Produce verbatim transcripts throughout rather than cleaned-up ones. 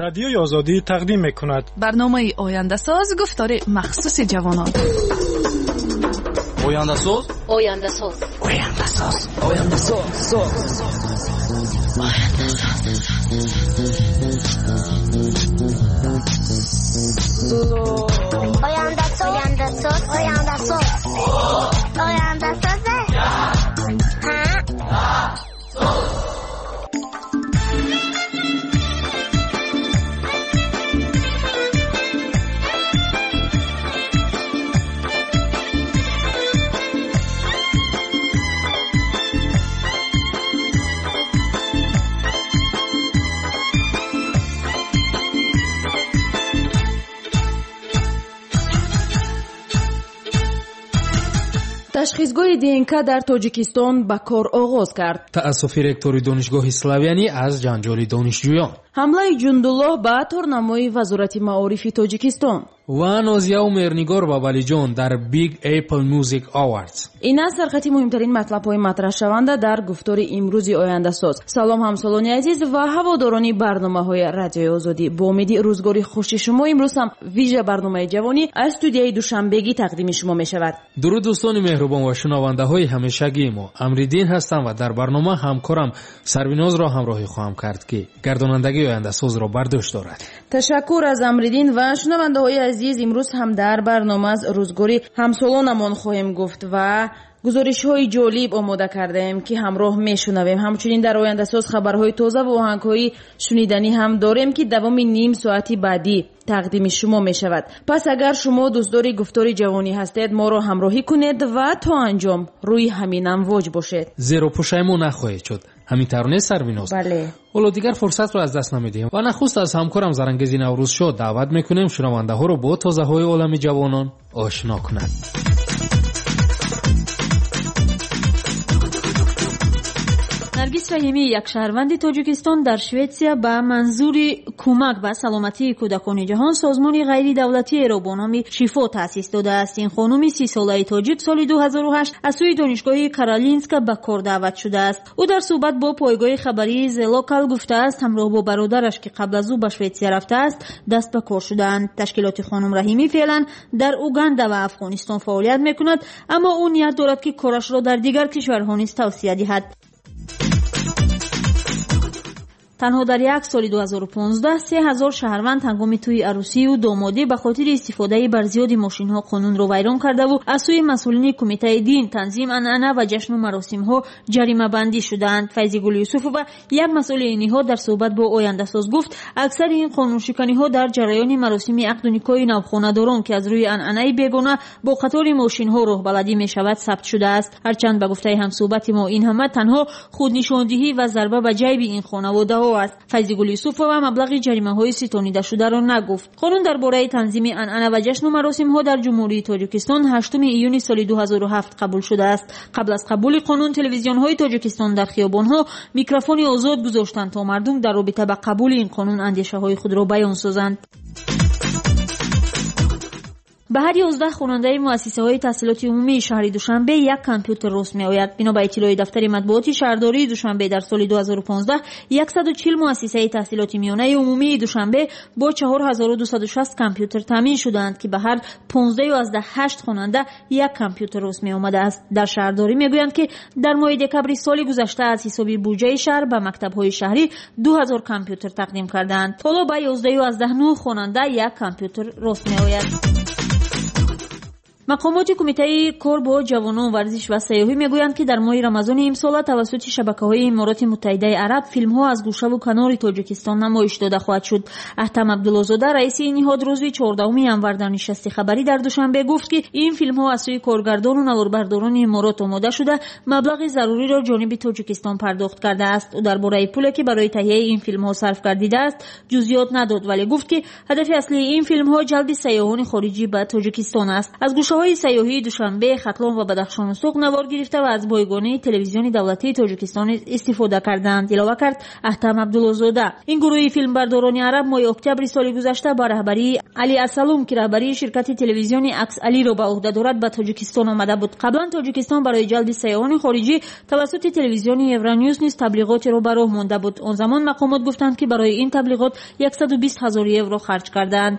Радиои Озодӣ тақдим мекунад. Барномаи Ояндасоз, гуфтори махсуси ҷавонон. Ояндасоз, Ояндасоз, Ояндасоз, Ояндасоз, соз. Ояндасоз, Ояндасоз, Ояндасоз, Ояндасоз. Ташхисгоҳи Д Н К дар Тоҷикистон ба кор оғоз кард. Таассуфи ректори Донишгоҳи Славянӣ аз ҷанҷоли донишҷӯён. Ҳамлаи Ҷундуллоҳ ба торнамои Вазорати маорифи Тоҷикистон. Ва Нозияу Меҳрнигор ва Валиҷон дар Big Apple Music Awards. Ин аст сархати муҳимтарин матлабҳои матраҳшаванда дар гуфтори имрӯзи Ояндасоз. Салом, ҳамсолони азиз ва ҳаводорони барномаҳои Радиои Озодӣ. Бо умеди рӯзгори хуши шумо имрӯз ҳам вижа барномаи ҷавонӣ аз студияи Душанбегӣ тақдими шумо мешавад. Дуруд, дӯстони меҳрубон ва шунавандаҳои ҳамешагии мо. Амриддин ҳастам ва дар барнома ҳамкорам Сарвинозро ҳамроҳӣ хоҳам кард, ки гардонандагии Ояндасозро бар дӯш дорад. Ташаккур аз Амриддин ва шунавандаҳои азиз, имрӯз ҳам дар барнома аз рӯзгори ҳамсолонамон хоҳем гуфт ва гузоришҳои ҷолиб омода кардаем, ки ҳамроҳ мешунавем. Ҳамчунин дар Ояндасоз хабарҳои тоза ва оҳангҳои шуниданӣ ҳам дорем, ки давоми ним соати баъдӣ тақдими шумо мешавад. Пас агар шумо дӯстдори гуфтори ҷавонӣ ҳастед, моро ҳамроҳӣ кунед ва то анҷом рӯи ҳамин амвоҷ бошед. Зеро пушаймон нахоҳед шуд. Ҳамин тавр нест, Сарвиноз? Бале. Ҳоло дигар фурсатро аз даст намедиҳем ва нахуст аз ҳамкорам Зарангези Наврӯзшо даъват мекунем, шунавандаҳоро бо тозаҳои олами ҷавонон ошно кунад. Наргиз Раҳимӣ, як шаҳрванди Тоҷикистон, дар Шветсия ба манзури кӯмак ба саломатии кӯдакони ҷаҳон созмони ғайридавлатиеро бо номи Шифо таъсис додааст. Ин хонуми сисолаи тоҷик соли ду ҳазору ҳашт аз сӯи Донишгоҳи Каролинска ба кор даъват шудааст. Ӯ дар суҳбат бо пойгоҳи хабарии The Local гуфтааст, ҳамроҳ бо бародараш, ки қабл аз ӯ ба Шветсия рафтааст, даст ба кор шудаанд. Ташкилоти хонум Раҳимӣ феълан дар Уганда ва Афғонистон фаъолият мекунад, аммо ӯ ният дорад, ки корашро дар дигар кишварҳо низ тавсия диҳад. Танҳо дар як соли ду ҳазору понздаҳ се ҳазор шаҳрванд ҳангоми тӯи арӯсию домодӣ ба хотири истифодаи барзиёди мошинҳо қонунро вайрон кардаву аз сӯи масъулини Кумитаи дин, танзим, анъана ва ҷашну маросимҳо ҷаримабандӣ шудаанд. Файзигул Юсуфова, як масъули ин ниҳод, дар суҳбат бо Ояндасоз гуфт, аксари ин қонуншиканиҳо дар ҷараёни маросими ақду никоҳи навхонадорон, ки аз рӯи анъанаи бегона бо қатори мошинҳо роҳбаладӣ мешавад, сабт шудааст. Ҳарчанд, ба гуфтаи ҳамсуҳбати мо, ин ҳама танҳо худнишондиҳӣ ва зарба ба ҷайби ин хонаводаҳо аст. Файзигул Юсуфова маблағи ҷаримаҳои ситонидашударо нагуфт. Қонун дар бораи танзими анъана ва ҷашну маросимҳо дар Ҷумҳурии Тоҷикистон ҳаштуми июни соли ду ҳазору ҳафт қабул шудааст. Қабл аз қабули қонун телевизионҳои Тоҷикистон дар хиёбонҳо микрофони озод гузоштанд, то мардум дар робита ба қабули ин қонун андешаҳои худро баён созанд. Ба ҳар ёздаҳ хонандаи муассисаҳои таҳсилоти умумии шаҳри Душанбе як компютер рост меояд. Бино ба иттилои дафтари матбуоти шаҳрдории Душанбе, дар соли ду ҳазору понздаҳ яксаду чил муассисаи таҳсилоти миёнаи умумии Душанбе бо чор ҳазору дусаду шаст компютер таъмин шудаанд, ки ба ҳар понздаҳ ҳашт хонанда як компютер рост меомадааст. Дар шаҳрдорӣ мегӯянд, ки дар моҳи декабри соли гузашта аз ҳисоби буҷаи шаҳр ба мактабҳои шаҳрӣ ду ҳазор компютер тақдим кардаанд. Ҳоло ба ёздаҳ нӯҳ хонанда як компютер рост меояд. Мақомоти Кумитаи кор бо ҷавонон, варзиш ва сайёҳӣ мегӯянд, ки дар моҳи рамазони имсола тавассути шабакаҳои Имороти Муттаҳидаи Араб филмҳо аз гӯшаву канори Тоҷикистон намоиш дода хоҳад шуд. Аҳтам Абдуллозода, раиси ин ниҳод, рӯзи чордаҳуми январ дар нишасти хабарӣ дар Душанбе гуфт, ки ин филмҳо аз сӯи коргардону наворбардорони Иморот омода шуда, маблағи заруриро ҷониби Тоҷикистон пардохт кардааст. Ӯ дар бораи пуле, ки барои таҳияи ин филмҳо сарф гардидааст, ҷузъиёт надод, вале гуфт, ки ҳадафи аслии ин филмҳо ҷалби сайёҳони хориҷӣ ба Тоҷикистон аст. Аз гӯшаҳои Нуқтаҳои сайёҳии Душанбе, Хатлон ва Бадахшону Суғд навор гирифта ва аз бойгонии телевизиони давлатии Тоҷикистон низ истифода карданд, илова кард Аҳтам Абдуллозода. Ин гурӯҳи филмбардорони араб моҳи октябри соли гузашта ба раҳбарии Али Асалум, ки раҳбарии ширкати телевизиони Акс Алиро ба уҳда дорад, ба Тоҷикистон омада буд. Қаблан Тоҷикистон барои ҷалби сайёҳони хориҷӣ тавассути телевизиони Евроньюз низ таблиғотеро ба роҳ монда буд. Он замон мақомот гуфтанд, ки барои ин таблиғот яксаду бист ҳазор евро харҷ кардаанд.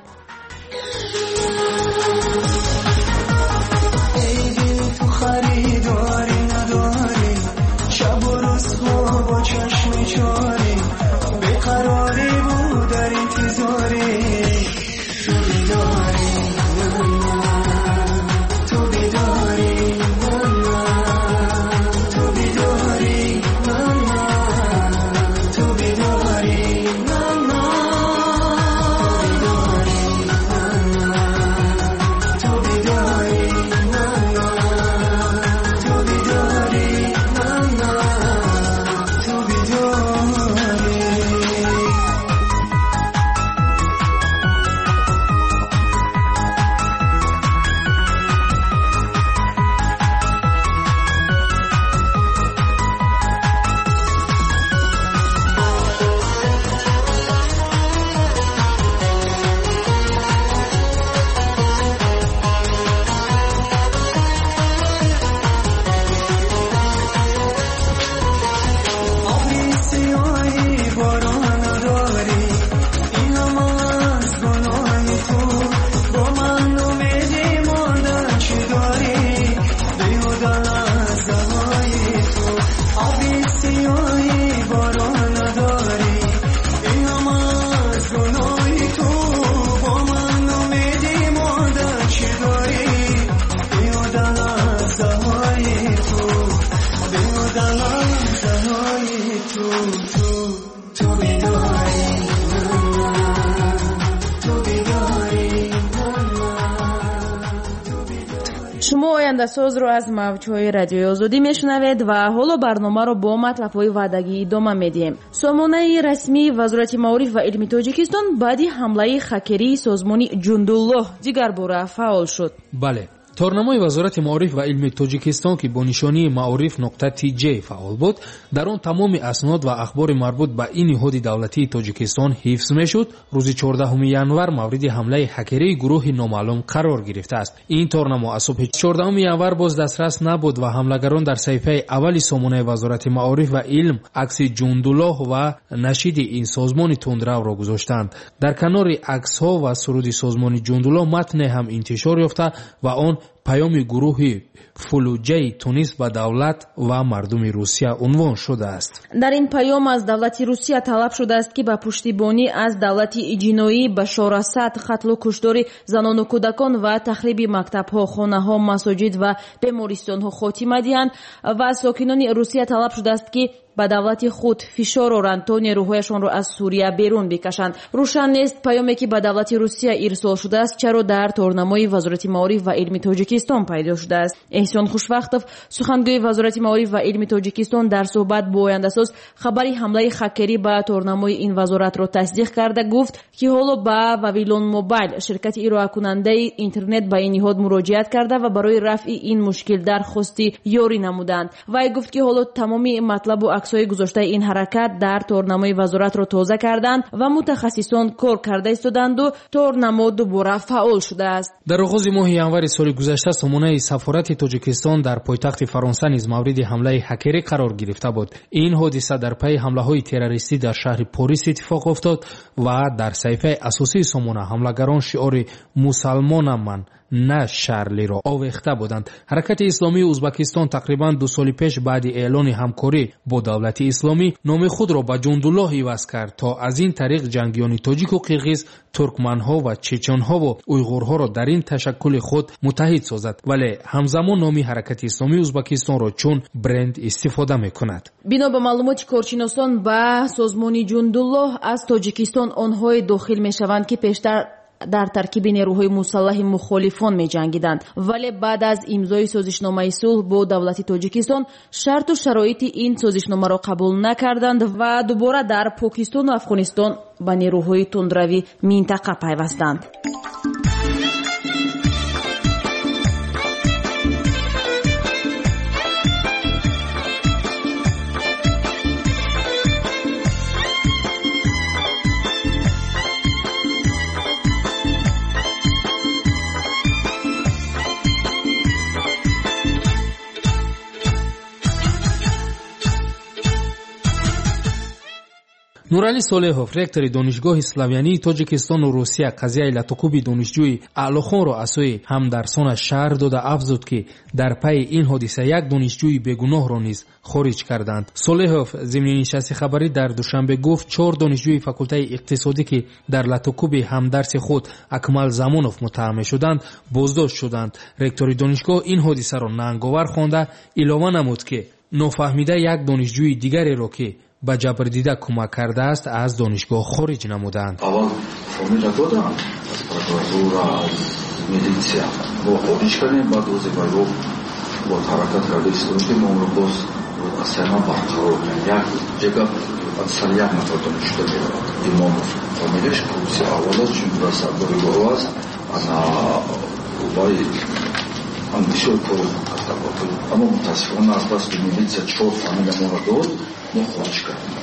Шумо ояндасозро аз мавҷҳои радиои Озодӣ мешунавед ва ҳоло барномаро бо матлабҳои ваъдагӣ идома медиҳем. Сомонаи расмии Вазорати маориф ва илми Тоҷикистон баъди ҳамлаи хакерии созмони Ҷундуллоҳ дигарбора фаъол шуд. Бале, торнамои Вазорати маориф ва илми Тоҷикистон, ки бо нишонии маориф нуқта тж фаъол буд, дар он тамоми аснод ва ахбори марбут ба ин ниҳоди давлатии Тоҷикистон ҳифз мешуд, рӯзи чордаҳуми январ мавриди ҳамлаи ҳакерии гурӯҳи номаълум қарор гирифтааст. Ин торнамо аз субҳи чордаҳуми январ боз дастрас набуд ва ҳамлагарон дар саҳифаи аввали сомонаи Вазорати маориф ва илм акси Ҷундуллоҳ ва нашиди ин созмони тундравро гузоштанд. Дар канори аксҳо ва суруди созмони Ҷундуллоҳ матне ҳам интишор ёфта ва он паёми гурӯҳи фулуҷаи Тунис ба давлат ва мардуми Русия унвон шудааст. Дар ин паём аз давлати Русия талаб шудааст, ки ба пуштибонӣ аз давлати ҷиноӣ Башор Асад, қатлу куштори занону кӯдакон ва тахриби мактабҳо, хонаҳо, масоҷид ва бемористонҳо хотима диҳанд ва аз сокинони Русия талаб шудааст, ки ба давлати худ фишор оранд то нерӯҳояшонро аз Сурия берун бикашанд. Рӯшан нест паёме, ки ба давлати Русия ирсол шудааст, чаро дар торнамои Вазорати маориф ва илми Тоҷикистон пайдо шудааст. Эҳсон Хушвақтов, сухангӯи Вазорати маориф ва илми Тоҷикистон, дар суҳбат бо ояндасоз хабари ҳамлаи хакерӣ ба торнамои ин вазоратро тасдиқ карда гуфт, ки ҳоло ба Вавилон Мобайл, ширкати ироакунандаи интернет, ба ин ниҳод муроҷиат карда ва барои рафъи ин мушкил дархости ёрӣ намуданд. Вай гуфт, ки ҳоло тамоми матлабу аксҳои гузоштаи ин ҳаракат дар торнамои вазоратро тоза карданд ва мутахассисон кор карда истоданду торнамо дубора фаъол шудааст. Дар оғози моҳи январи соли гузашта сомонаи сафорати Тоҷикистон дар пойтахти Фаронса низ мавриди ҳамлаи ҳакерӣ қарор гирифта буд. Ин ҳодиса дар пайи ҳамлаҳои террористӣ дар шаҳри Порис иттифоқ афтод ва дар саҳифаи асосии сомона ҳамлагарон шиори «Мусалмонам ман, на Шарлиро» овехта буданд. Ҳаракати исломии Узбакистон тақрибан ду соли пеш баъди эълони ҳамкорӣ бо давлати исломӣ номи худро ба Ҷундуллоҳ иваз кард, то аз ин тариқ ҷангиёни тоҷику қирғиз, туркманҳо ва чеченҳову уйғурҳоро дар ин ташаккули худ муттаҳид созад, вале ҳамзамон номи Ҳаракати исломии Узбакистонро чун бренд истифода мекунад. Бино ба маълумоти коршиносон, ба созмони Ҷундуллоҳ аз Тоҷикистон онҳое дохил мешаванд, ки пештар дар таркиби нерӯҳои мусаллаҳи мухолифон меҷангиданд, вале баъд аз имзои созишномаи сулҳ бо давлати Тоҷикистон шарту шароити ин созишномаро қабул накарданд ва дубора дар Покистону Афғонистон ба нерӯҳои тундрави минтақа пайвастанд. Нуралӣ Солеҳов, ректори Донишгоҳи Славянии Тоҷикистону Русия, қазияи латукӯби донишҷӯи Аълохонро аз сӯи ҳамдарсонаш шарҳ дода афзуд, ки дар пайи ин ҳодиса як донишҷӯи бегуноҳро низ хориҷ карданд. Солеҳов зимни нишасти хабарӣ дар Душанбе гуфт, чор донишҷӯи факултаи иқтисодӣ, ки дар латукӯби ҳамдарси худ Акмал Замонов муттаҳам мешуданд, боздошт шуданд. Ректори донишгоҳ ин ҳодисаро нанговар хонда илова намуд, ки нофаҳмида як донишҷӯи дигареро, ки ба ҷабрдида кӯмак кардааст, аз донишгоҳ хориҷ намуданд. Аввал фамилия доданд аз прокуратура, аз милитсия. Мо хориҷ кардем, баъд рӯзе ба ё бо ҳаракат карда истодем, ки мо онро боз аз сари барқарор кунем. Як ҷага аз сари як нафар донишҷӯ меравад. Имомов фамилияш курси аввал аст, чун дар сардори гурӯҳ аст. Ана вай ан бисёр кор карда буд. Аммо мутаассифона аз бас ки милитсия чор фамилия моро дод, мо хориҷ кардем.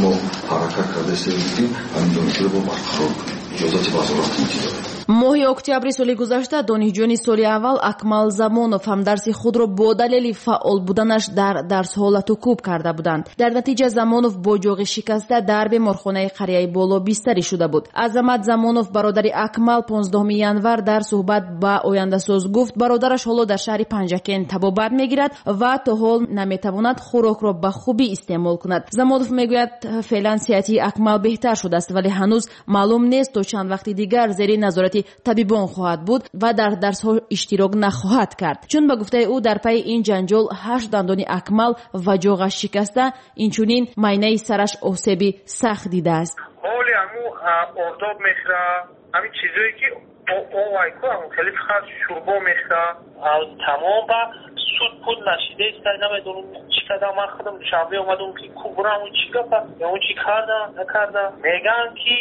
Мо ҳаракат карда истодем, ки ҳамин донишҷӯро бо барқарор кунем. Иҷозати вазорат интизорем. Моҳи октябри соли гузашта донишҷӯёни соли аввал Акмал Замонов ҳамдарси худро бо далели фаъол буданаш дар дарсҳо латукӯб карда буданд. Дар натиҷа Замонов бо ҷоғи шикаста дар беморхонаи қарияи Боло бистарӣ шуда буд. Азамат Замонов, бародари Акмал, понздаҳуми январ дар суҳбат ба Ояндасоз гуфт, бародараш ҳоло дар шаҳри Панҷакент табобат мегирад ва то ҳол наметавонад хӯрокро ба хубӣ истеъмол кунад. Замонов мегӯяд, феълан сиҳатии Акмал беҳтар шудааст, вале ҳанӯз маълум нест то чанд вақти дигар зери назорати табибон хоҳад буд ва дар дарсҳо иштирок нахоҳад кард. Чун ба гуфтаи ӯ дар пайи ин ҷанҷол ҳашт дандони Акмал ва ҷоғаш шикаста, инчунин майнаи сараш осеби сахт дидааст. Ҳоли ҳаму ордоб мехӯра, ҳамин чизое ки овайку ҳаму хеле фақат шурбо мехӯра, тамом ба суд пул нашидаист, намедонам чӣ кардам. Ман худам Душанбе омадам, ки кубрам чӣ гапа, ё чӣ карда накарда. Мегӯянд ки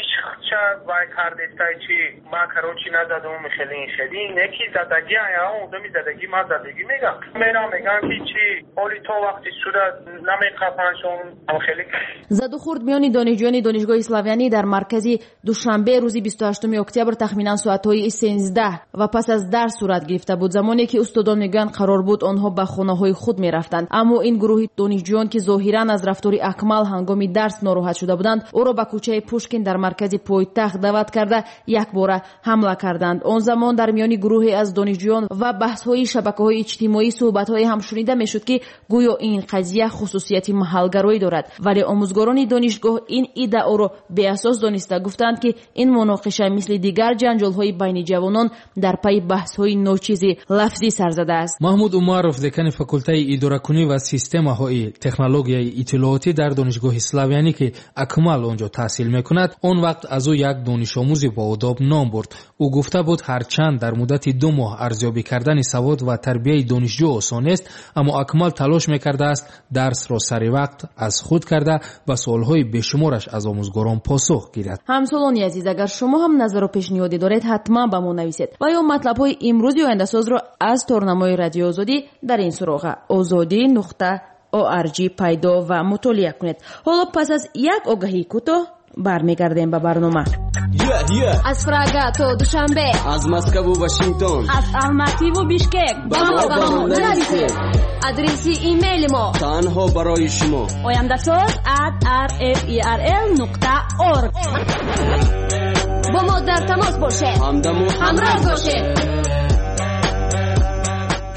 иш хча вай кардестай чи ман короче назадам, хеле ин хеле неки задагӣ, ая одами задагӣ ман задагӣ мегам. Мерам мегам ки чи ҳоли то вақти суда намеқапаншон хеле. Задухӯрд миёни донишҷӯёни Донишгоҳи Славянӣ дар маркази Душанбе рӯзи бисту ҳаштуми октябр тахминан соатҳои сенздаҳ ва пас аз дарс сурат гирифта буд. Замоне ки устодон мегӯянд қарор буд онҳо ба хонаҳои худ мерафтанд. Аммо ин гурӯҳи донишҷӯён, ки зоҳиран аз рафтори Акмал ҳангоми дарс нороҳат шуда буданд, ӯро ба кӯчаи Пушкин дар маркази пойтахт даъват карда якбора ҳамла карданд. Он замон дар миёни гурӯҳе аз донишҷӯён ва баҳсҳои шабакаҳои иҷтимоӣ суҳбатҳое ҳам шунида мешуд, ки гӯё ин қазия хусусияти маҳалгароӣ дорад. Вале омӯзгорони донишгоҳ ин иддаоро беасос дониста гуфтанд, ки ин муноқиша мисли дигар ҷанҷолҳои байни ҷавонон дар пайи баҳсҳои ночизи лафзӣ сар задааст. Маҳмуд Умаров, декани факултаи идоракунӣ ва системаҳои технологияи иттилоотӣ дар Донишгоҳи Славянӣ, ки Акмал он ҷо таҳсил мекунад, он вақт аз ӯ як донишомӯзи боодоб ном бурд. Ӯ гуфта буд, ҳарчанд дар муддати ду моҳ арзёбӣ кардани савод ва тарбияи донишҷӯ осон нест, аммо Акмал талош мекардааст дарсро сари вақт аз худ карда ба суолҳои бешумораш аз омӯзгорон посух гирад. Ҳамсолони азиз, агар шумо ҳам назару пешниҳодӣ доред, ҳатман ба мо нависед ва ё матлабҳои имрӯзи Ояндасозро аз торнамои Радиои Озодӣ дар ин суроға озодӣ нуқта орг пайдо ва мутолиа кунед. Ҳоло пас аз як огаҳии кӯтоҳ бармегардем ба барнома. Аз Прага то Душанбе, аз Москву Вашингтон, аз Алмативу Бишкек ба мо ба мо нависед. Адреси имейли мо танҳо барои шумо ояндасоз at r f e r l нуқта org. Бо мо дар тамос бошед, ҳамдаму ҳамроҳ бошед.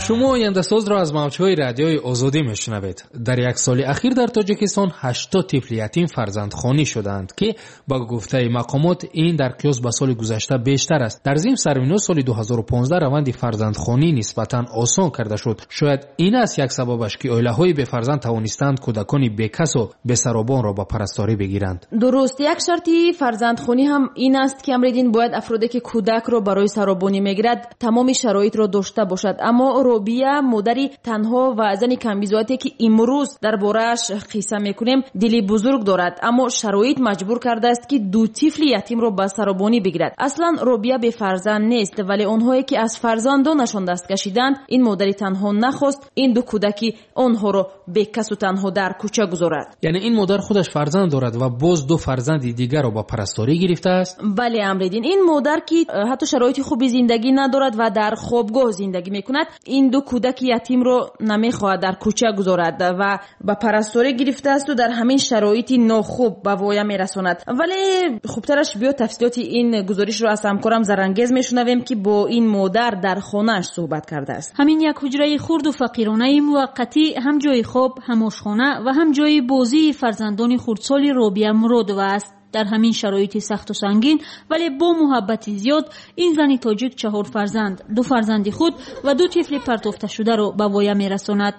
Шумо Ояндасозро аз мавҷҳои радиои Озодӣ мешунавед. Дар як соли ахир дар Тоҷикистон ҳаштод тифли ятим фарзандхонӣ шудаанд, ки ба гуфтаи мақомот ин дар қиёс ба соли гузашта бештар аст. Дар зимн сарвино соли ду ҳазору понздаҳ раванди фарзандхонӣ нисбатан осон карда шуд. Шояд ин аст як сабабаш, ки оилаҳои бефарзанд тавонистанд кӯдакони бекасу бесаробонро ба парасторӣ бигиранд. Дуруст, як шарти фарзандхонӣ ҳам ин аст, ки Амриддин бояд афроде ки кӯдакро барои саробонӣ мегирад тамоми шароитро дошта бошад. Аммо Робия, модари танҳо ва зани камбизоате, ки имрӯз дар борааш қисса мекунем, дили бузург дорад, аммо шароит маҷбур кардааст, ки ду тифли ятимро ба саробонӣ бигирад. Аслан Робия бефарзанд нест, вале онҳое ки аз фарзандонашон даст кашиданд, ин модари танҳо нахост ин ду кӯдаки онҳоро бекасу танҳо дар кӯча гузорад. Яъне ин модар худаш фарзанд дорад ва боз ду фарзанди дигарро ба парасторӣ гирифтааст? Бале, Амриддин, ин модар, ки ҳатто шароити хуби зиндагӣ надорад ва дар хобгоҳ зиндагӣ мекунад, ин ин ду кӯдаки ятимро намехоҳад дар кӯча гузорад ва ба парасторӣ гирифтааст ва дар ҳамин шароити нохуб ба воя мерасонад. Вале хубтараш биё тафсилоти ин гузоришро аз ҳамкорам Зарангез мешунавем, ки бо ин модар дар хонааш суҳбат кардааст. Ҳамин як ҳуҷраи хурду фақиронаи муваққатӣ ҳам ҷои хоб, ҳам ошхона ва ҳам ҷои бозии фарзандони хурдсоли Робия Муродова аст. Дар ҳамин шароити сахту сангин, вале бо муҳаббати зиёд, ин зани тоҷик чаҳор фарзанд, ду фарзанди худ ва ду тифли партофташударо ба воя мерасонад.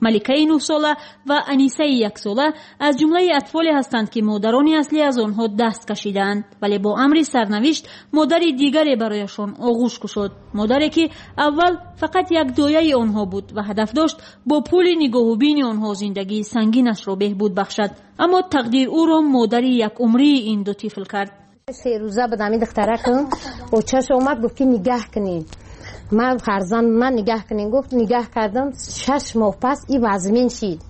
Маликаи нӯҳсола ва Анисаи яксола аз ҷумлаи атфоле ҳастанд, ки модарони аслӣ аз онҳо даст кашидаанд, вале бо амри сарнавишт модари дигаре барояшон оғӯш кушод. Модаре ки аввал фақат як дояи онҳо буд ва ҳадаф дошт бо пули нигоҳубини онҳо зиндагии сангинашро беҳбуд бахшад. Аммо тақдир ӯро модари якумрии ин ду тифл кард. Се рӯза буд ҳамин духтаракам очаш омад, гуфт ки нигаҳ кунед, ман фарзанд ман нигаҳ кунед. Гуфт нигаҳ кардам, шаш моҳ пас и вазмин шид.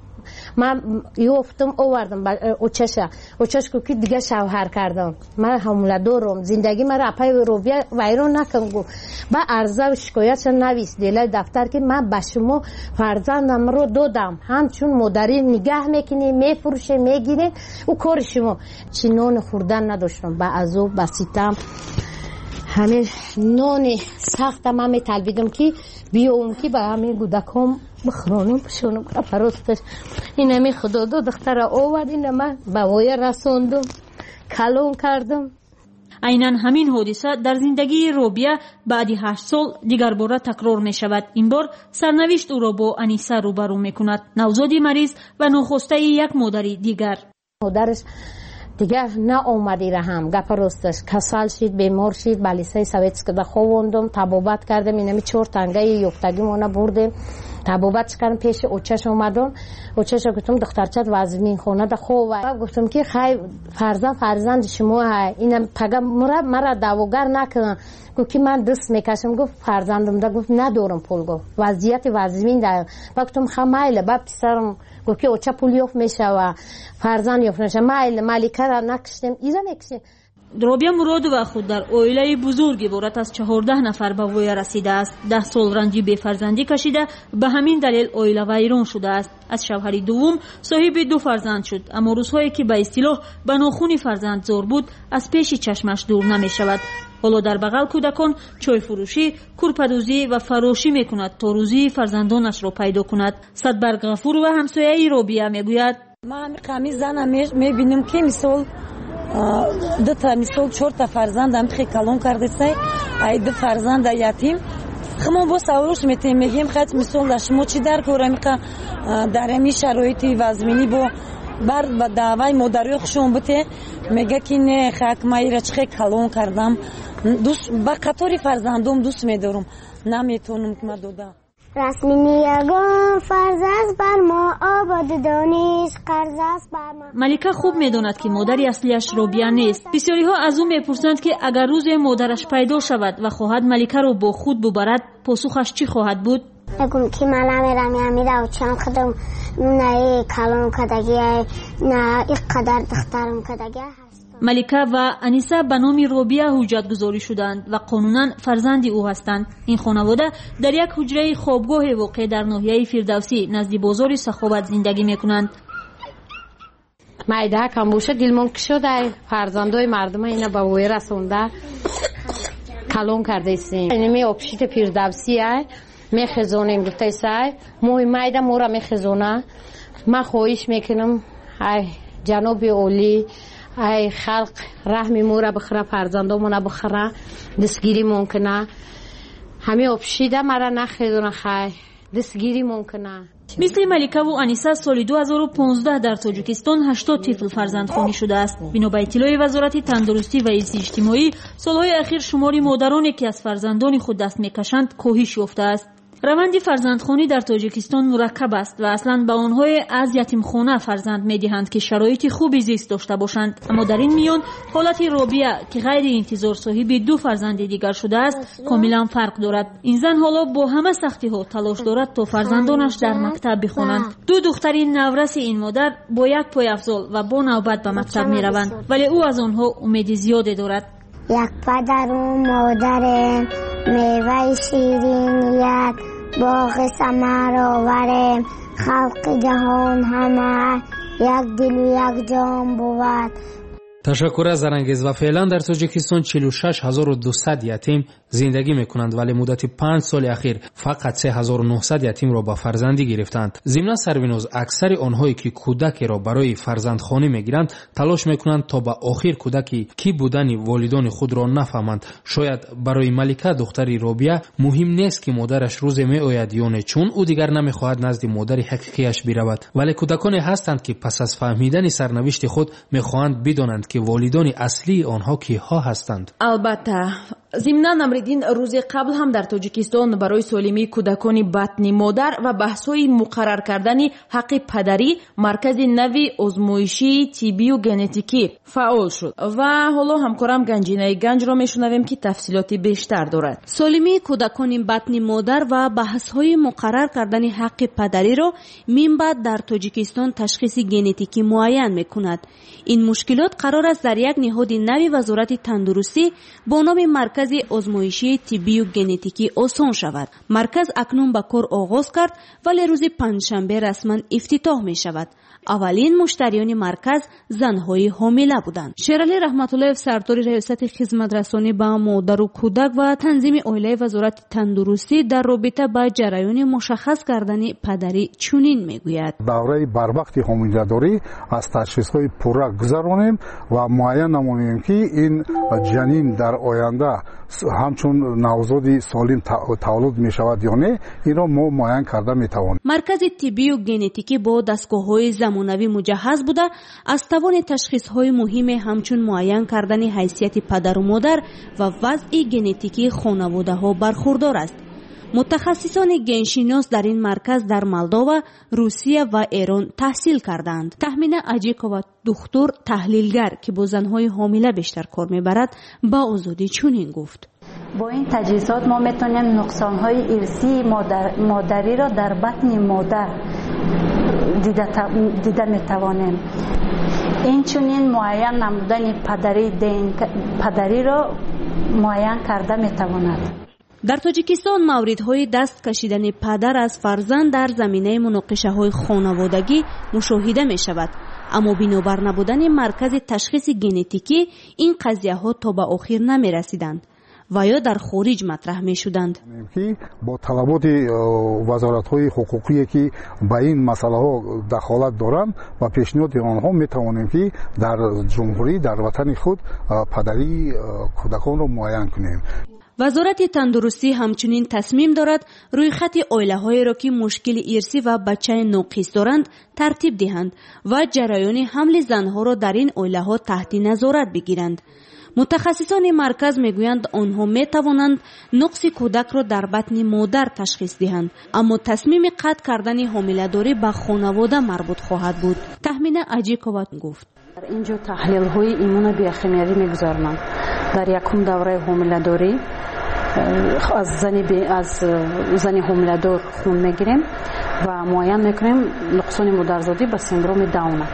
Ман ёфтам, овардам очаша. Очаш гуфт ки дига шавҳар кардам, ман ҳомила дорам, зиндагӣ маро апаи Робия вайрон накун. Гуфт ба арза шикоятша навис делаи дафтар ки ман ба шумо фарзандамро додам, ҳамчун модарӣ нигаҳ мекунем, мефурӯшем, мегирем, ӯ кори шумо. Чи нони хӯрдан надоштам, ба азоб, ба ситам. Ҳамин нони сахта ман металбидам ки биёвам ки ба ҳамин кӯдаком бихӯронам, пӯшонам. Росташ ин ҳамин худо дод, духтара овард, ина ман ба воя расондум, калон кардам. Айнан ҳамин ҳодиса дар зиндагии Робия баъди ҳашт сол дигарбора такрор мешавад. Ин бор сарнавишт ӯро бо Аниса рӯбарӯ мекунад, навзоди мариз ва нохостаи як модари дигар. Модараш дигар наомадира ҳам, гапа росташ касал шид, бемор шид, ба лисаи советскада ховондум, табобат кардем, инами чор тангаи ёфтагимона бурдем, табобатш кардем, пеши очаш омадам. Очаша гуфтам духтарчат вазминхонада хова. Гуфтам ки хай фарзанд фарзанди шумо ҳай, ина пага мара даъвогар накун. Гуфт ки ман даст мекашам, гуфт фарзандамда, гуфт надорам пул, гуфт вазъияти вазмин да. Ба гуфтам ха майла. Ба писарам гуфт ки оча пул ёфт мешава, фарзанд ёфт мешава, майла маликара накиштем, иза мекишем. Робия Муродова худ дар оилаи бузург иборат аз чаҳордаҳ нафар ба воя расидааст. Даҳ сол ранҷи бефарзандӣ кашида, ба ҳамин далел оила вайрон шудааст. Аз шавҳари дуввум соҳиби ду фарзанд шуд, аммо рӯзҳое ки ба истилоҳ ба нохуни фарзанд зор буд, аз пеши чашмаш дур намешавад. Ҳоло дар бағал кӯдакон чойфурӯшӣ, курпадӯзӣ ва фарошӣ мекунад то рӯзии фарзандонашро пайдо кунад. Садбарг Ғафурова ҳамсояи Робия мегӯяд: ман ҳамин зана мебинам ки мисол дута, мисол чорта фарзандам хе калон кардесай, ай ду фарзанда ятим. Хумон бо саволш метем, мегем хат мисол дар шумо чӣ дар кор амиқа дар ҳамин шароити вазминӣ бо бар ба даъваи модарои хушон буте, мега ки не хак ма ира чӣ хе калон кардам, ба қатори фарзандом дӯст медорам, наметонам ки ма дода. Расми ниягон фарз аст бар мо, ободу дониш қарз аст бар мо. Малика хуб медонад ки модари аслиаш Робия нест. Бисёриҳо аз ӯ мепурсанд ки агар рӯзе модараш пайдо шавад ва хоҳад Маликаро бо худ бубарад, посухаш чӣ хоҳад буд? Мегум ки ман намерам, амира очам худам на калон кадагия, на ин қадар духтарам кадагия. Малика ва Аниса ба номи Робия ҳуҷҷатгузорӣ шуданд ва қонунан фарзанди ӯ ҳастанд. Ин хонавода дар як ҳуҷраи хобгоҳе воқеъ дар ноҳияи Фирдавсӣ назди бозори Саховат зиндагӣ мекунанд. Майда кам боша дилмон кушода, фарзандои мардума ина ба воя расонда калон кардаистем. Инами обшити Фирдавсӣ ай мехезонем гуфтаисай, моҳи майда мора мехезона. Ман хоҳиш мекунам ай ҷаноби олӣ, ай халқ раҳми мора бихӯра, фарзандомона бихӯра, дастгиримон куна. Ҳамин обшида мара нахезона, хай дастгиримон куна. Мисли Маликаву Аниса соли ду ҳазору понздаҳ дар Тоҷикистон ҳаштод тифл фарзандхонӣ шудааст. Бино ба иттилои Вазорати тандурустӣ ва ҳифзи иҷтимоӣ, солҳои ахир шумори модароне ки аз фарзандони худ даст мекашанд коҳиш ёфтааст. Раванди фарзандхонӣ дар Тоҷикистон мураккаб аст ва аслан ба онҳое аз ятимхона фарзанд медиҳанд ки шароити хуби зист дошта бошанд. Аммо дар ин миён ҳолати Робия ки ғайри интизор соҳиби ду фарзанди дигар шудааст комилан фарқ дорад. Ин зан ҳоло бо ҳама сахтиҳо талош дорад то фарзандонаш дар мактаб бихонанд. Ду духтари навраси ин модар бо як пойафзол ва бо навбат ба мактаб мераванд, вале ӯ аз онҳо умеди зиёде дорад. Як падару модарем, меваи ширин як боғи самар оварем. Халқи ҷаҳон ҳама як дилу як ҷон бувад. Ташаккур аз Зарангез. Ва феълан дар Тоҷикистон чилу шаш ҳазору дусад ятим зиндагӣ мекунанд, вале муддати панҷ соли ахир фақат се ҳазору нӯҳсад ятимро ба фарзандӣ гирифтанд. Зимнан Сарвиноз, аксари онҳое ки кӯдакеро барои фарзандхонӣ мегиранд, талош мекунанд то ба охир кӯдаки кӣ будани волидони худро нафаҳманд. Шояд барои Малика, духтари Робия, муҳим нест ки модараш рӯзе меояд ё не, чун ӯ дигар намехоҳад назди модари ҳақиқияш биравад. Вале кӯдаконе ҳастанд ки пас аз фаҳмидани сарнавишти худ мехоҳанд бидонанд ки волидони аслии онҳо киҳо ҳастанд. Албатта, зимнан Амриддин, рӯзи қабл ҳам дар Тоҷикистон барои солимии кӯдакони батни модар ва баҳсҳои муқаррар кардани ҳаққи падарӣ маркази нави озмоишии тиббию генетикӣ фаъол шуд. Ва ҳоло ҳамкорам Ганҷинаи Ганҷро мешунавем, ки тафсилоти бештар дорад. Солимии кӯдакони батни модар ва баҳсҳои муқаррар кардани ҳаққи падариро минбаъд дар Тоҷикистон ташхиси генетикӣ муайян мекунад. Ин мушкилот қарор аст дар як ниҳоди нави Вазорати тандурустӣ бо номи маркази озмоишии тиббию генетикӣ осон шавад. Марказ акнун ба кор оғоз кард, вале рӯзи панҷшанбе расман ифтитоҳ мешавад. Аввалин муштариёни марказ занҳои ҳомила буданд. Шералӣ Раҳматуллоев, сардори раёсати хизматрасонӣ ба модару кӯдак ва танзими оилаи Вазорати тандурустӣ, дар робита ба ҷараёни мушаххас кардани падарӣ чунин мегӯяд: давраи барвақти ҳомиладорӣ аз ташхисҳои пурра гузаронем ва муайян намоем, ки ин ҷанин дар оянда ҳамчун навзоди солим таваллуд мешавад ё не, инро мо муайян карда метавонем. Маркази тиббию генетикӣ бо дастгоҳҳои замонавӣ муҷаҳҳаз буда, аз тавони ташхисҳои муҳиме ҳамчун муайян кардани ҳайсияти падару модар ва вазъи генетикии хонаводаҳо бархурдор аст. Мутахассисони геншинос дар ин марказ дар Молдова, Русия ва Эрон таҳсил карданд. Таҳмина Аҷикова, духтур таҳлилгар, ки бо занҳои ҳомила бештар кор мебарад, ба Озодӣ чунин гуфт: бо ин таҷҳизот мо метавонем нуқсонҳои ирсии модариро дар батни модар дида метавонем. Инчунин муайян намудани падариро муайян карда метавонад. Дар Тоҷикистон мавридҳои даст кашидани падар аз фарзанд дар заминаи муноқишаҳои хонаводагӣ мушоҳида мешавад. Аммо бинобар набудани маркази ташхиси генетикӣ ин қазияҳо то ба охир намерасиданд ва ё дар хориҷ матраҳ мешуданд. Ки бо талаботи вазоратҳои ҳуқуқие ки ба ин масъалаҳо дахолат доранд ва пешниҳоди онҳо метавонем, ки дар ҷумҳурӣ, дар ватани худ падарии кӯдаконро муайян кунем. Вазорати тандурустӣ ҳамчунин тасмим дорад рӯйхати оилаҳоеро, ки мушкили ирсӣ ва бачаи ноқис доранд, тартиб диҳанд ва ҷараёни ҳамли занҳоро дар ин оилаҳо таҳти назорат бигиранд. Мутахассисони марказ мегӯянд, онҳо метавонанд нуқси кӯдакро дар батни модар ташхис диҳанд, аммо тасмими қатъ кардани ҳомиладорӣ ба хонавода марбут хоҳад буд. Таҳмина Аҷикова гуфт: дар ин ҷо таҳлилҳои иммунобиохимиявӣ мегузаронанд. Дар якум давраи ҳомиладорӣ аз зани аз зани ҳомиладор хун мегирем ва муайян мекунем нуқсони модарзодӣ ба синдроми Дауна.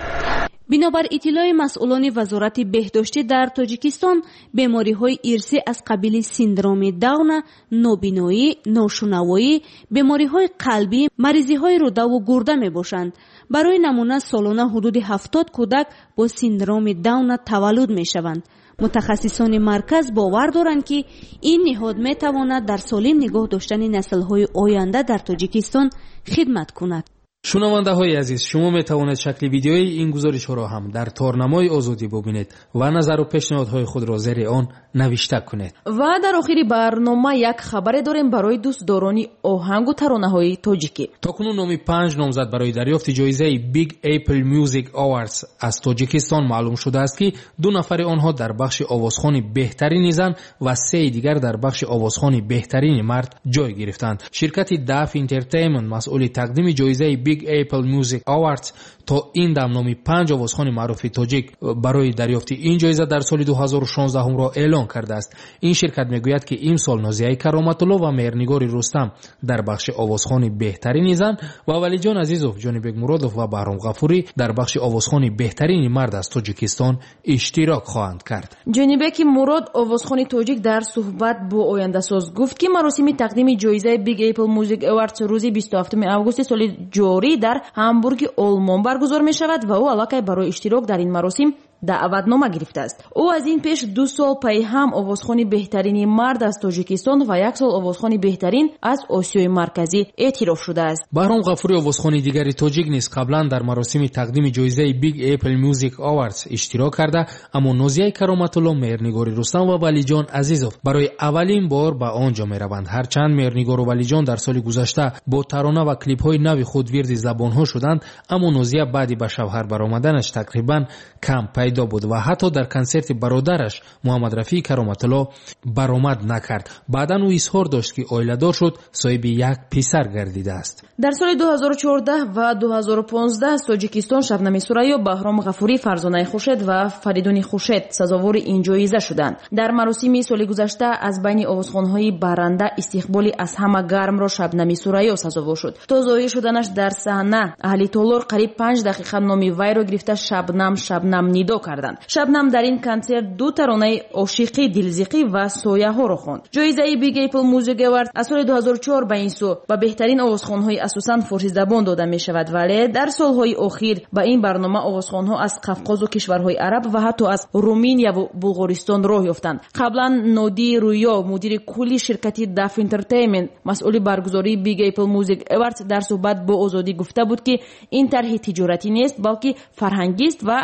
Бинобар иттилои масъулони Вазорати беҳдоштӣ дар Тоҷикистон, бемориҳои ирсӣ аз қабили синдроми Дауна, нобиноӣ, ношунавоӣ, бемориҳои қалбӣ, маризиҳои рӯдаву гурда мебошанд. Барои намуна, солона ҳудуди ҳафтод кӯдак бо синдроми Дауна таваллуд мешаванд. Мутахассисони марказ бовар доранд, ки ин ниҳод метавонад дар солим нигоҳ доштани наслҳои оянда дар Тоҷикистон хидмат кунад. Шунавандаҳои азиз, шумо метавонед шакли видеои ин гузоришҳоро ҳам дар торнамои Озодӣ бубинед ва назару пешниҳодҳои худро зери он навишта кунед. Ва дар охири барнома як хабаре дорем барои дӯстдорони оҳангу таронаҳои тоҷикӣ. То кунун номи панҷ номзад барои дарёфти ҷоизаи Big Apple Music Awards аз Тоҷикистон маълум шудааст, ки ду нафари онҳо дар бахши овозхони беҳтарини зан ва сеи дигар дар бахши овозхони беҳтарини мард ҷой гирифтанд. Ширкати Daf Entertainment масъули тақдими ҷоизаи Big Big Apple Music Awards то ин дам номи панҷ овозхони маъруфи тоҷик барои дарёфти ин ҷоиза дар соли ду ҳазору шонздаҳумро эълон кардааст. Ин ширкат мегӯяд, ки имсол Нозияи Кароматулло ва Меҳрнигори Рустам дар бахши овозхони беҳтарини зан ва Валиҷон Азизов, Ҷонибек Муродов ва Баҳром Ғафурӣ дар бахши овозхони беҳтарини мард аз Тоҷикистон иштирок хоҳанд кард. Ҷонибеки Мурод, овозхони тоҷик, дар суҳбат бо Ояндасоз гуфт, ки маросими тақдими ҷоизаи Big Apple Music Awards рӯзи бисту ҳафтуми августи соли ҷорӣ дар Ҳамбурги Олмон баргузор мешавад ва ӯ аллакай барои иштирок дар ин маросим даъватнома гирифтааст. Ӯ аз ин пеш ду сол пайи ҳам овозхони беҳтарини мард аз Тоҷикистон ва як сол овозхони беҳтарин аз Осиёи Марказӣ эътироф шудааст. Баҳром Ғафурӣ, овозхони дигари тоҷик, низ қаблан дар маросими тақдими ҷоизаи Big Apple Music Awards иштирок карда, аммо Нозияи Кароматулло, Меҳрнигори Рустам ва Валиҷон Азизов барои аввалин бор ба он ҷо мераванд. Ҳарчанд Меҳрнигору Валиҷон дар соли гузашта бо тарона ва клипҳои нави худ вирди забонҳо шуданд, аммо Нозия баъди ба шавҳар баромаданаш тақрибан кам пайдо буд ва ҳатто дар консерти бародараш Муҳаммад Рафии Кароматулло баромад накард. Баъдан ӯ изҳор дошт, ки оиладор шуд, соҳиби як писар гардидааст. Дар соли ду ҳазору чордаҳ ва ду ҳазору понздаҳ аз Тоҷикистон Шабнами Сурайё, Баҳром Ғафурӣ, Фарзонаи Хуршед ва Фаридуни Хуршед сазовори ин ҷоиза шуданд. Дар маросими соли гузашта аз байни овозхонҳои баранда истиқболи аз ҳама гармро Шабнами Сурайё сазовор шуд. То зоҳир шуданаш дар саҳна аҳли толор қариб панҷ дақиқа номи вайро гирифта Шабнам, Шабнам нидо карданд. Шабнам дар ин консерт ду таронаи ошиқӣ, дилзиқӣ ва сояҳоро хонд. Ҷоизаи Big Apple Music Awards аз соли ду ҳазору чор ба ин сӯ ба беҳтарин овозхонҳои асосан форсизабон дода мешавад, вале дар солҳои охир ба ин барнома овозхонҳо аз Қафқозу кишварҳои араб ва ҳатто аз Руминия ва Булғористон роҳ ёфтанд. Қаблан Ноди Рӯё, мудири кулли ширкати Daf Entertainment, масъули баргузории Big Apple Music Awards, дар суҳбат бо Озодӣ гуфта буд, ки ин тарҳи тиҷоратӣ нест, балки фарҳангист ва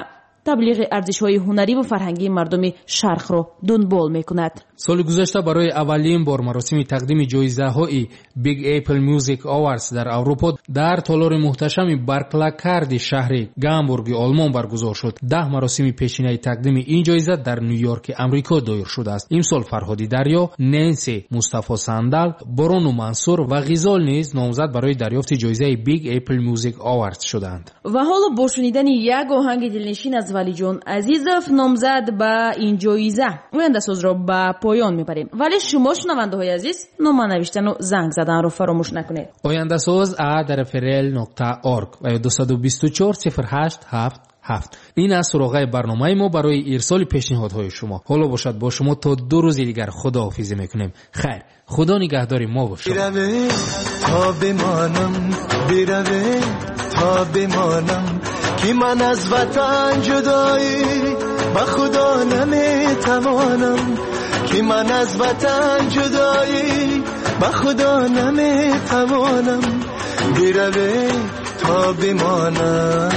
таблиғи арзишҳои ҳунарӣ ва фарҳангии мардуми шарқро дунбол мекунад. Соли гузашта барои аввалин бор маросими тақдими ҷоизаҳои Big Apple Music Awards дар Аврупо дар толори муҳташами Барклакарди шаҳри Гамбурги Олмон баргузор шуд. Даҳ маросими пешинаи тақдими ин ҷоиза дар Ню-Йорки Амрико доир шудааст. Имсол Фарҳоди Дарё, Ненси, Мустафо Сандал, Борону Мансур ва Ғизол низ номзад барои дарёфти ҷоизаи Big Apple Music Awards шуданд. Ва ҳоло бо шунидани як оҳанги дилнишин аз Валиҷон Азизов, номзад ба ин ҷоиза, Ояндасозро ба поён мебарем. Вале шумо, шунавандаҳои азиз, нома навиштану занг заданро фаромӯш накунед. Ояндасоз а дар фрл нуқта орг ва ё дусаду бисту чор сифр ҳашт ҳафт ҳафт. Ин аз суроғаи барномаи мо барои ирсоли пешниҳодҳои шумо. Ҳоло бошад бо шумо то ду рӯзи дигар худоҳофизӣ мекунем. Хайр, худо нигаҳдори мо бошад. То бимонам, бираве, то бимонам, ки ман аз ватан ҷудоӣ ба худо наметавонам, ки ман аз ватан ҷудоӣ ба худо наметавонам, бираве то бимонам.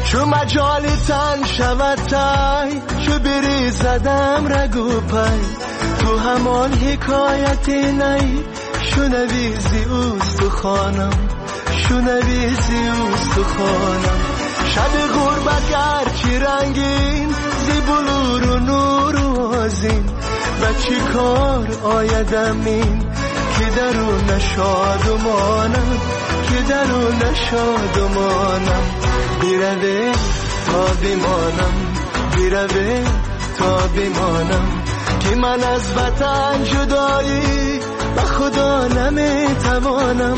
چو مجال تن شود تای، چو بریزدم رگو پای، تو همان حکایت نی، شنوی زی استخوانم، شنوی زی استخوانم. شب غربت گرچه رنگین، زی بلور و نور و آذین، و چی کار آیدم این که درون شادمانم، که درون شادمانم. بیروه تا بیمانم، بیروه تا بیمانم، که من از وطن جدایی به خدا نمیتوانم،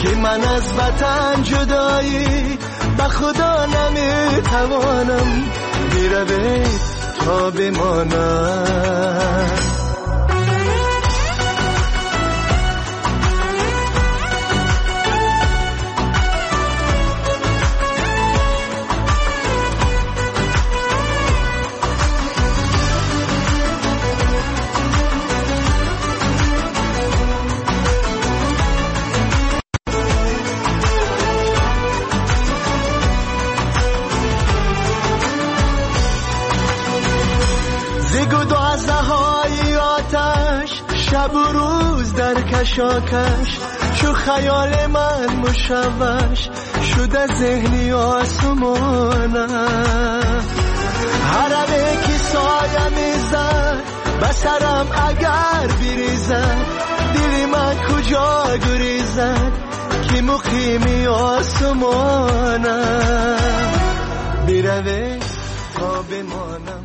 که من از وطن جدایی به خدا نمیتوانم، بیروه تا بیمانم. شب و روز در کشاکش چو خیال من مشوش شده ذهنی آسمانم هرمه که سایه میزد به سرم اگر بریزد دل من کجا گریزد که مقیمی آسمانم بروه تا بمانم.